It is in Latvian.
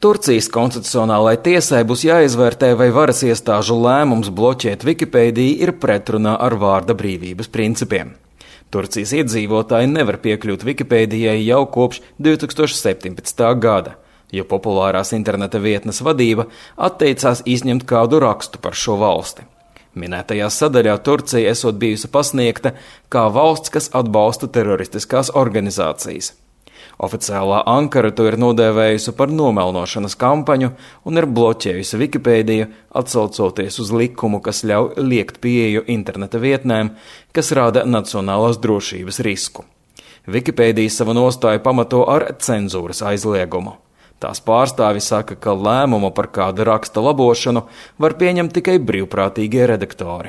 Turcijas konstitucionālajai tiesai būs jāizvērtē, vai varas iestāžu lēmums bloķēt Wikipēdiju ir pretrunā ar vārda brīvības principiem. Turcijas iedzīvotāji nevar piekļūt Wikipēdijai jau kopš 2017. gada, jo populārās interneta vietnes vadība atteicās izņemt kādu rakstu par šo valsti. Minētajā sadaļā Turcija esot bijusi pasniegta kā valsts, kas atbalsta teroristiskās organizācijas. Oficiālā Ankara to ir nodēvējusi par nomelnošanas kampaņu un ir bloķējusi Wikipēdiju, atsaucoties uz likumu, kas ļauj liekt pieeju interneta vietnēm, kas rada nacionālās drošības risku. Wikipēdija savu nostāju pamato ar cenzūras aizliegumu. Tās pārstāvi saka, ka lēmumu par kāda raksta labošanu var pieņemt tikai brīvprātīgie redaktori.